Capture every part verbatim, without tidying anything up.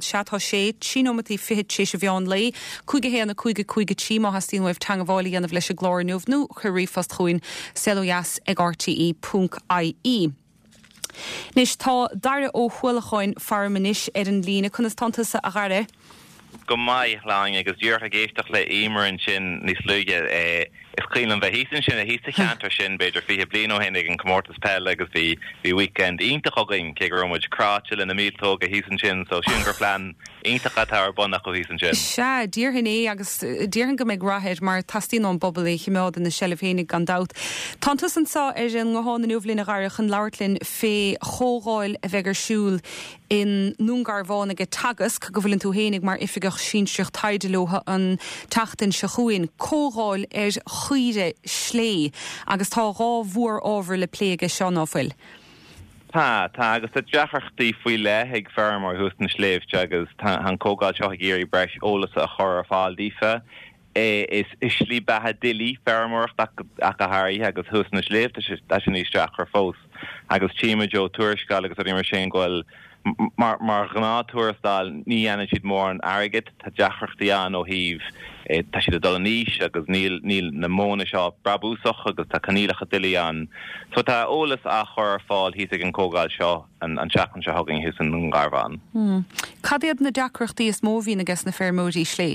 Sea, tá sé trí nóimeataí fichead tar éis an mheán lae, cúig a haon a cúig a cúig a trí má theastaíonn uaibh teagmháil a dhéanamh leis an gclár inniu nó cuir ríomhphost chugainn saolodheas ag rte ponc ie. Anois tá Daire Ó hUallacháin faram anois ar an líne conas tánn tusa a Dhaire. Go maith lang agus díreach ag éisteacht le Eimear ansin níos luaithe is cuimhin liom bheith thíos ansin thíos sa cheantar sin b'fhéidir fiche bliain ó shin ag an comórtas peile agus bhí bhí weekend iontach againn cé go raibh muid cráite le na míoltóga thíos ansin so sin gur plean iontach atá ar bun acu thíos ansin. Sea, déarfainn é agus déarfainn go mbeidh rath air mar teastaíonn ón bpobal é a choimeád ina seilbh féinig gan dabht. Tánn tusa anseo ar an nguthán inniu linn a Dhaire chun labhairt linn fé chomhdháil a bheidh ar siúl i nDún Garbhán ag Teagasc go bhfuileann tú féinig mar oifigeach sinsearach taighde leo an tseachtain seo chugainn comhdháil ar chaoire slé agus tá dhá mhórábhar le plé aige seo ná fuil. Tá tá agus tá deacrachtaí faoi leith ag feirmeoirí thuas na sléibhte agus tá an chomhdháil seo ag iarraidh breis eolas a chur ar fáil daofa. is is slí beatha doiligh feirmeoireacht ach go háirithe agus thuas na sléibhte tá sin níos deacra fós agus tchímid ó tuarascáil agus rudaí mar sin go bhfuil mar mar ghnáth-tuarastal ní dhéanann siad mórán airgid tá deacrachtaí ann ó thaobh tá siad ag dul in aois agus níl níl na modhanna seo brabúsach agus tá coinníollacha doiligh ann. So tá eolas á chur ar fáil thíos ag an chomhdháil seo an an tseachtain seo chugainn thuas i nDún Garbhán. Hmm. Cad iad na deacrachtaí is mó a bhíonn aige na feirmeoirí slé?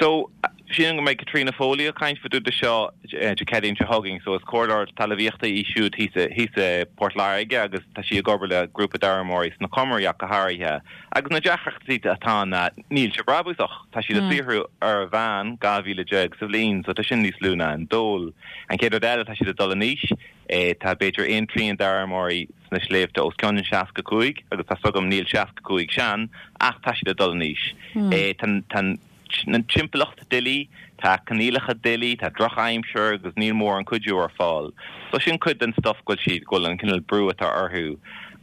So sin go mbeidh Caitríona Foley ag caint fá dtaobh de seo Dé Céadaoin seo chugainn, so is comhairleoir talmhaíochta í siúd thíos i Port Láirge agus tá sí ag obair le grúpa d'fheirmeoirí sna Comaraí ach go háirithe. Agus na deacrachtaí atá ná níl sé brabúsach, tá siad ag saothrú ar mheán dhá mhíle déag sa bhliain, so tá sin níos lú ná an dól. An chéad rud eile tá siad ag dul in aois, tá b'fhéidir aon trian d'fheirmeoirí sna sléibhte os cionn seasca cúig agus tá agam níl seasca cúig sean ach tá siad ag dul in aois. Tá na timpeallacht doiligh, tá coinníollacha doiligh, tá drochaimsir agus níl mórán cuidiú ar fáil. So sin cuid den stuff go bhfuil siad go bhfuil an cineál brú atá orthu.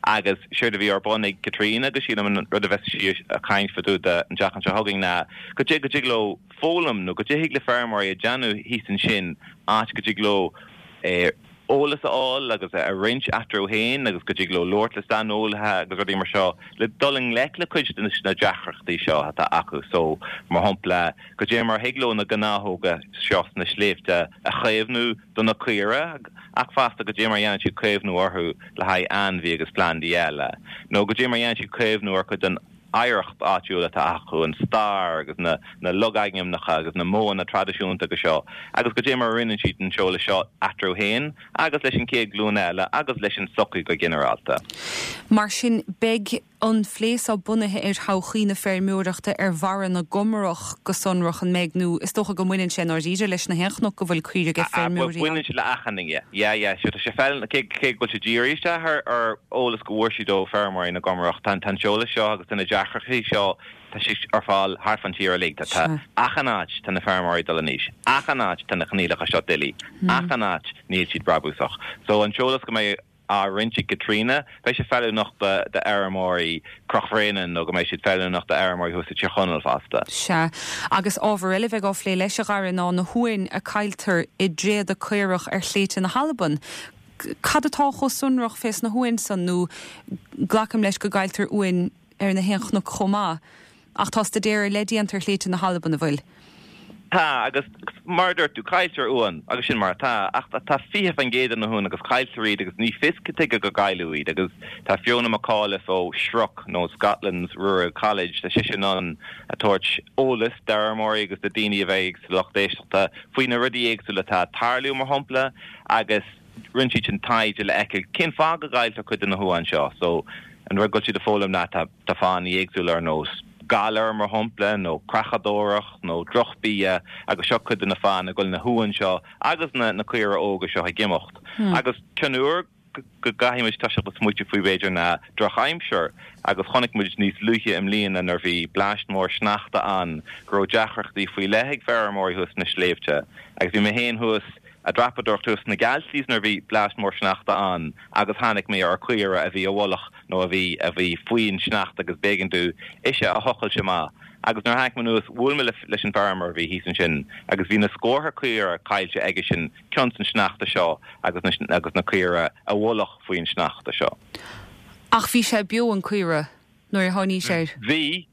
Agus séard a bhí ar bun ag Caitríona agus sílim an rud a bheas sí ag caint fá dtaobh de an tseachtain seo chugainn ná go dtig go dtig leo foghlaim nó go dtig le feirmeoirí a dhéanamh thíos ansin áit go dtig leo eh, eolas a fháil agus a roinnt eatarthu féin agus go dtig leo labhairt le saineolaithe agus rudaí mar seo le dul i ngleic le cuid de na deacrachtaí seo atá acu so mar shampla go dté mar thig leo na gnáthóga seo sna sléibhte a chaomhnú do na caoire ach fosta go dté mar dhéanann siad caomhnú orthu le haghaidh ainmhí agus plandaí eile nó go dté mar dhéanann siad caomhnú ar chuid den oidhreacht áitiúil atá acu an stair agus na na logainmneacha agus na modhanna traidisiúnta go seo agus go dté mar roinneann siad an t-eolas seo eatarthu féin agus leis an chéad ghlúin eile agus leis an sochaí go ginearálta. Mar sin beidh an plé seo bunaithe ar thodhchaí na feirmeoireachta ar bharra na gComarach go sonrach an mbeidh nó is dócha go mbaineann sé dáiríre leis na haon chnoc go bhfuil caoirigh ag feirmeoirí. Baineann sé le achan duine. Yeah, yeah, so tá sé fel cé cé go bhfuil sé dírithe isteach ar ar eolas go bhfuair siad ó feirmeoirí na gComarach tá an t-eolas seo agus na deacrachtaí seo tá sé ar fáil thart fán tír uilig tá achan áit tá na feirmeoirí dul in aois achan áit tá na coinníollacha seo doiligh achan áit níl siad brabúsach so an t-eolas go mbeidh á roinnt ag Caitríona beidh sé feiliúnach do fheirmeoirí Chnoc Bhréanainn nó go mbeidh siad feiliúnach do fheirmeoirí thuas i Tír Chonaill fosta. Sea, agus ábhar eile bheidh á phlé leis a Dhaire ná na huain a cailltear i dtréada caorach ar shléibhte na hAlban. Cad atá chomh sonrach fés na huain san nó glacaim leis go gcailltear uain ar na haon chnoc chomh maith. Ach tá staidéar le déanamh ar shléibhte na hAlban an bhfuil. Tá agus mar dúirt tú cailltear uan agus sin mar atá ach tá fiche faoin gcéad de na huain agus cailltear iad agus ní fios cad chuige go gcailleadh iad agus tá Fiona McAuliffe ó SRUC nó Scotland's Rural College tá sise in ann a tabhairt eolas d'fheirmeoirí agus do daoine a bheidh sa lucht éisteachta faoi na rudaí éagsúla atá ag tarlú mar shampla agus rinne siad sin taighde le feiceáil cén fáth go gcailltear cuid de na huain seo so an rud go bhfuil siad ag foghlaim ná tá tá fáthanna éagsúla ar nós galar mar shampla nó creachadóireacht nó drochbhia agus seo cuid de na fáthanna go bhfuil na huain seo agus na na caoire óga seo ag imeacht. Hmm. Agus ceann úr go gcaithfimid toiseacht ag smaointiú faoi b'fhéidir ná drochaimsir agus chonaic muid níos luaithe i mbliana nuair bhí bleaist mór sneachta ann go raibh deacrachtaí faoi leith ag feirmeoirí thuas na sléibhte agus bhí mé féin thuas ag dreapadóireacht thuas sna Galtees nuair bhí bleaist mór sneachta ann agus tháinig mé ar chaora a bhí i bhfolach nó a bhí a bhí faoin sneachta agus b'éigean domh ise a thochailt amach. Agus nuair tháinig mé anuas bhuail mé leis an bhfeirmeoir a bhí thíos ansin agus bhí na scórtha caora caillte aige sin cionn san sneachta seo agus na, agus na caora i bhfolach faoin sneachta seo. Ach bhí sé beo an caora. nuair a tháinís air? Bhí,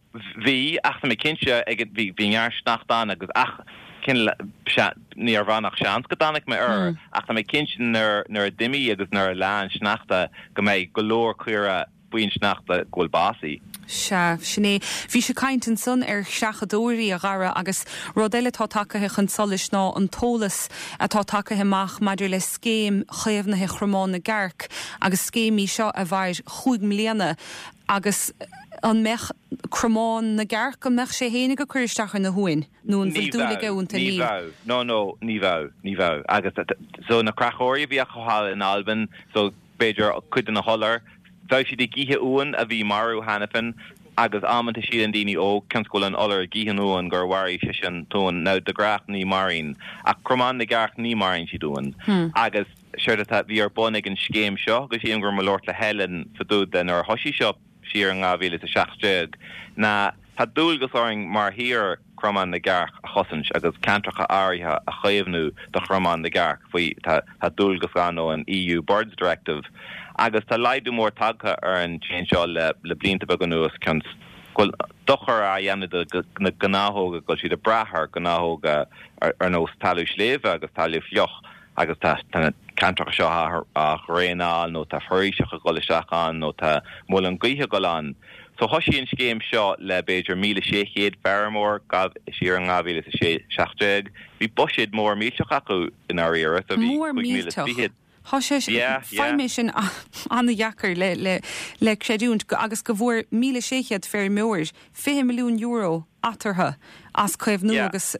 bhí, ach tá mé cinnte ag bhí bhí neart sneachta ann agus ach cineál ní raibh ach seans go dtáinig mé air mm. ach tá mé cinnte nuair nuair a d'imigh agus nuair a leá an sneachta go mbeidh go leor caora faoin sneachta go bhfuil básaithe. Sea, sin é. Bhí sé caint ansan ar chreachadóirí a Dhara agus rud eile atá tagtha chun solais ná an t-eolas atá tagtha amach maidir le scéim chaomhnaithe Chromán na gCearc agus scéim í seo a mhair chúig mbliana agus an mbeadh Cromán na gCearc an mbeadh sé fhéinig ag cur isteach ar na huain nó an bhfuil dúil aige iontu Ní bheadh no no ní bheadh ní bheadh agus so na creachóirí a bhí acu thall in Albain so b'fhéidir cuid de na hiolair bheadh siad ag ithe uan a bhí marbh cheana féin agus amanta síleann daoine ó cionn is go bhfuil an iolar ag ithe an uan gur mharaigh sé sin an t-uan now de ghnáth ní maraíonn ach cromán na gcearc ní maraíonn siad uan hmm. agus séard atá bhí ar bun ag an scéim seo agus sílim go raibh mé ag labhairt le Helen fá dtaobh de nuair a thosaigh seo siar in dhá mhíle is a seacht déag ná tá dualgas orainn mar thír Cromán na gCearc a chosaint agus ceantracha áirithe a chaomhnú do Chromán na gCearc faoi tá dualgas ann ón EU Birds Directive agus tá laghdú mór tagtha ar an téan seo le le blianta beaga anuas cionn is go bhfuil dochar á dhéanamh do na gnáthóga go bhfuil siad ag brath ar gnáthóga ar nós talamh sléibhe agus talamh fliuch agus tá na ceantracha seo á dhraenáil nó tá foraoiseacha ag dul isteach ann nó tá muileann gaoithe ag dul ann. So thosaigh an scéim seo le b'fhéidir míle sé chéad feirmeoir siar in dhá mhíle is a sé seacht déag. Bhí buiséad mór millteach acu i ndáiríre so bhí Mór cúig míle is millteach. fiche. Tá sé Yeah, yeah. Faighim é sin an-deacair le le le creidiúint agus go bhfuair míle sé chéad feirmeoir fiche milliún euro eatarthu as caomhnú Yeah. agus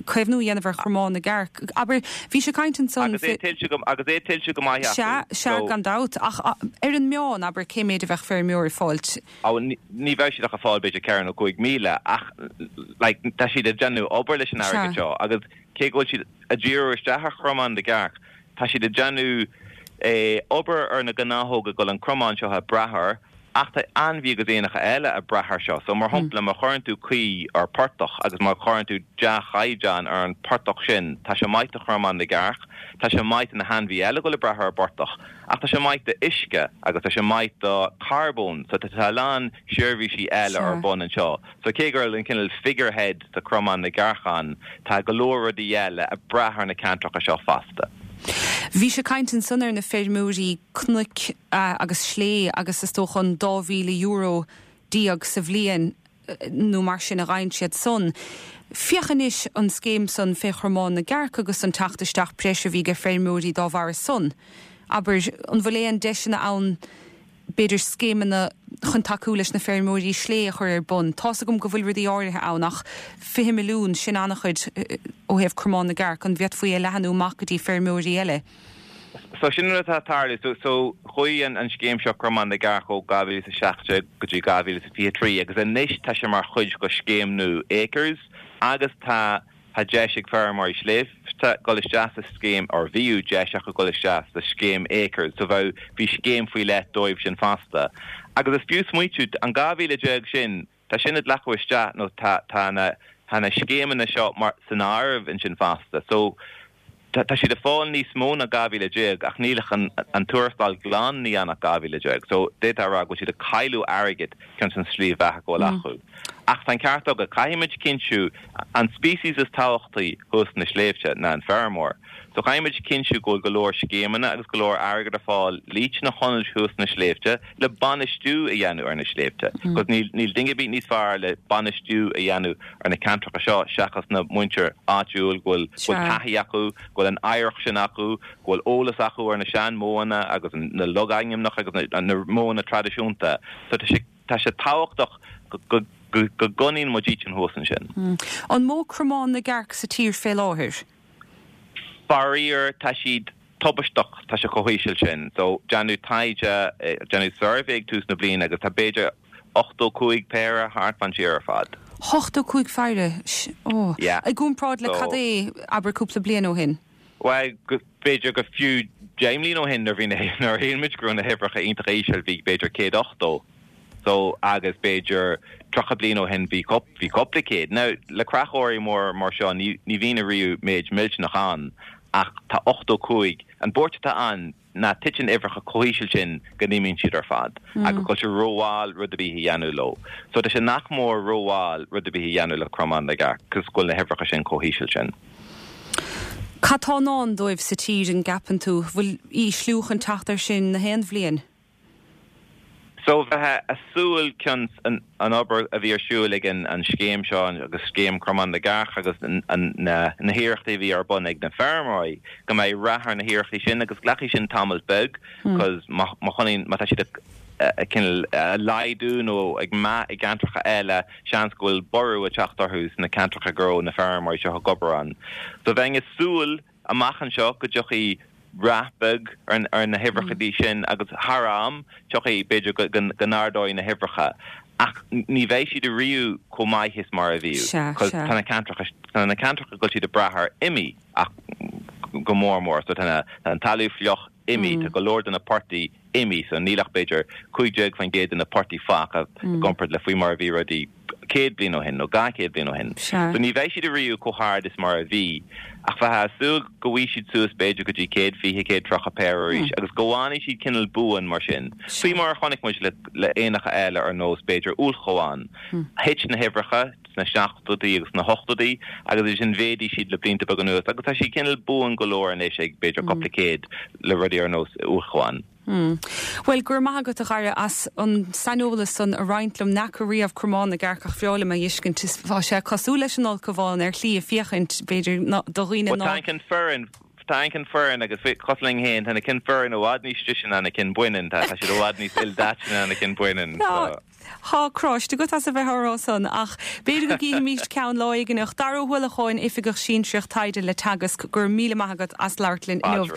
caomhnú a dhéanamh ar Chromán na gCearc. Abair bhí sé caint ansan Agus é tuillte go agus é tuillte go maith Se acu. se So- gan dabht ach a- ar an meán abair cé méid a bheadh feirmeoir ag fáilt. Á, ní ní bheidh siad ach ag fáil b'fhéidir ceithre nó cúig míle ach like, tá siad ag déanamh obair leis an Sea. airgead seo agus cé go bhfuil siad ag díriú isteach ar Chromán na gCearc tá siad ag déanamh eh, obair ar na gnáthóga go bhfuil an cromán seo ag brath air ach tá ainmhí agus éanacha eile ag brath air seo so mar shampla má chuireann tú caoi ar portach agus má chuireann tú dea-chaighdeán ar an portach sin tá sé maith do Chromán na gCearc tá sé maith do na hainmhithe eile go bhfuil ag brath ar an bportach ach tá sé maith do uisce agus tá sé maith do carbón so tá tá lán seirbhísí eile Sea. ar bun anseo so cé gur an cineál figurehead de Chromán na gCearc ann tá go leor rudaí eile ag brath ar na ceantracha seo fosta. Bhí sé caint ansan ar na feirmeoirí cnoic uh, agus slé agus is dócha an dá mhíle euro déag sa bhliain eh, nó mar sin a fhaigheann siad san. Féach anois an scéim san fé Chromán na gCearc agus an teacht isteach breise a bhí ag feirmeoirí dá bharr san. Abair an bhfuil aon deiseanna ann b'fhéidir scéimeanna chun tacú leis na feirmeoirí slé a chur ar bun. Tá's agam go bhfuil rudaí áirithe ann ach fiche milliún sin an-chuid eh, ó thaobh Cromán na gCearc an bhféadfaí é a leathnú amach go dtí feirmeoirí eile. So sin rud atá tarlú so, so chuaigh an, an scéim seo Cromán na gCearc ó dhá mhíle is a seacht go dtí dhá mhíle is fiche trí agus anois tá sé mar chuid de scéim nua Acres agus tá tá deis ag feirmeoirí sléibhte dul isteach sa scéim or bhíodh deis acu dul isteach sa scéim Acres so bheadh bhí scéim faoi leith dóibh sin fosta. Agus is fiú smaointiú an dhá mhíle déag sin tá sin ag glacadh isteach nó tá tá na tá na scéimeanna seo mar san áireamh ansin fosta. So tá tá siad ag fáil níos mó ná dhá mhíle déag ach níl an an tuarastal glan ní an dhá mhíle déag, so d'fhéadfá rá go bhfuil siad ag cailleadh airgead chun an slí bheatha go bhfuil acu. Ach tá ceart agat caithfimid cinntiú an species is tábhachtaí thuas na sléibhte ná an feirmeoir. So caithfimid cinntiú go bhfuil go leor scéimeanna agus go leor airgead ar fáil leis na hionaid thuas na sléibhte le bainistiú a dhéanamh ar na sléibhte. Cos níl níl duine ar bith níos fearr le bainistiú a dhéanamh ar na ceantracha seo seachas na muintir áitiúil go bhfuil Sea. taithí acu, go bhfuil an oidhreacht sin acu, go bhfuil eolas acu ar na seanmhodhanna agus na logainmneacha agus na, na modhanna traidisiúnta. So tá sé tá sé tábhachtach go go go go gcoinníonn muid iad thuas ansin. An mó Cromán na gCearc sa tír fé láthair. Faraor tá siad tubaisteach tá sé chomh híseal sin, so déanadh taighde eh, déanadh suirbhé ag tús na bliana agus tá b'fhéidir ochtó cúig péire thart fan tír ar fad. Ochtó cúig phéire ó Yeah. I gcomparáid le So- cad é abair cúpla bliain ó shin. Well b'fhéidir go fiú deich mbliana ó shin nuair bhí nuair shíl muid go raibh na huimhreacha iontach íseal bhí b'fhéidir céad ochtó. So agus b'fhéidir tríocha bliain ó shin bhí bhí cúpla céad. Now le creachóirí mór mar seo ní ní bhíonn riamh méid millteanach ann ach tá ochtó cúig an buairt atá ann ná titeann uimhreacha chomh híseal sin go n-imíonn siad ar fad agus go bhfuil sé rómhall rud ar bith a dhéanamh leo. So tá sé nach mór rómhall rud ar bith a dhéanamh le cromán na gcearc cos go bhfuil na huimhreacha sin chomh híseal sin. Cad tá i ndán dóibh sa tír an gceapann tú, bhfuil ísliú chun teacht air sin na haon bhliain? So bheifeá ag súil cionn an an obair a bhí ar siúl ag an an scéim seo agus scéim Cromán na gCearc agus an an na na hiarrachtaí a bhí ar bun ag na feirmeoirí go mbeidh rath ar na hiarrachtaí sin agus glacfaidh sin tamall beag cos má má chonaic má tá siad ag cineál laghdú nó ag meath i gceantracha eile seans go bhfuil borradh ag teacht orthu sna ceantracha go raibh na feirmeoirí seo ag obair ann. So bheinn ag súil amach anseo go dtiocfaidh rath beag ar ar na huimhreacha sin agus thar am tiocfaidh b'fhéidir go go n-ardóidh na huimhreacha ach ní bheidh siad riamh chomh maith is mar a bhí Sea, tá na ceantracha tá na ceantracha go bhfuil siad ag brath air imithe ach go mór mór so tá an talamh fliuch imithe tá go leor de na portaigh imithe so níl ach b'fhéidir cúig déag faoin gcéad de na portaigh fágtha i gcomparáid le faoi mar a bhí rudaí céad bliain ó shin nó dhá chéad bliain ó shin. So ní bheidh siad riamh chomh hard is mar a bhí ach bheifeá ag súil go bhfaighidh siad suas b'fhéidir go dtí céad fiche céad tríocha péire arís agus go bhfanfaidh siad cineál buan mar sin. Faoi mar a chonaic muid le le éanacha eile ar nós b'fhéidir ulchabhán. Thit na huimhreacha sna seachtóidí agus na hochtóidí agus ansin mhéadaigh siad le blianta beaga anuas agus tá siad cineál buan go leor anois ag b'fhéidir cúpla céad le rudaí ar nós ulchabhán. Mm. Well go raibh maith agat a Dhara as an saineolas san a roinnt liom nach riamh cromán na gcearc ach b'fhearr liom a fheiscint tá sé cosúil leis an ulchabhán ar shlí a féachaint b'fhéidir do dhaoine ná. Tá fireann Tá cinn fireann agus cosúil linn féin tá na cinn fireann i bhfad níos deise ná na cinn baineann tá siad i bhfad níos ildaite ná na cinn baineann. Tá croiste go as a bheith rá san ach b'fhéidir go gcífimid ceann lá éigin Dara Ó hUallacháin oifigeach sinsearach taighde le Teagasc go raibh míle maith agat as labhairt linn inniu.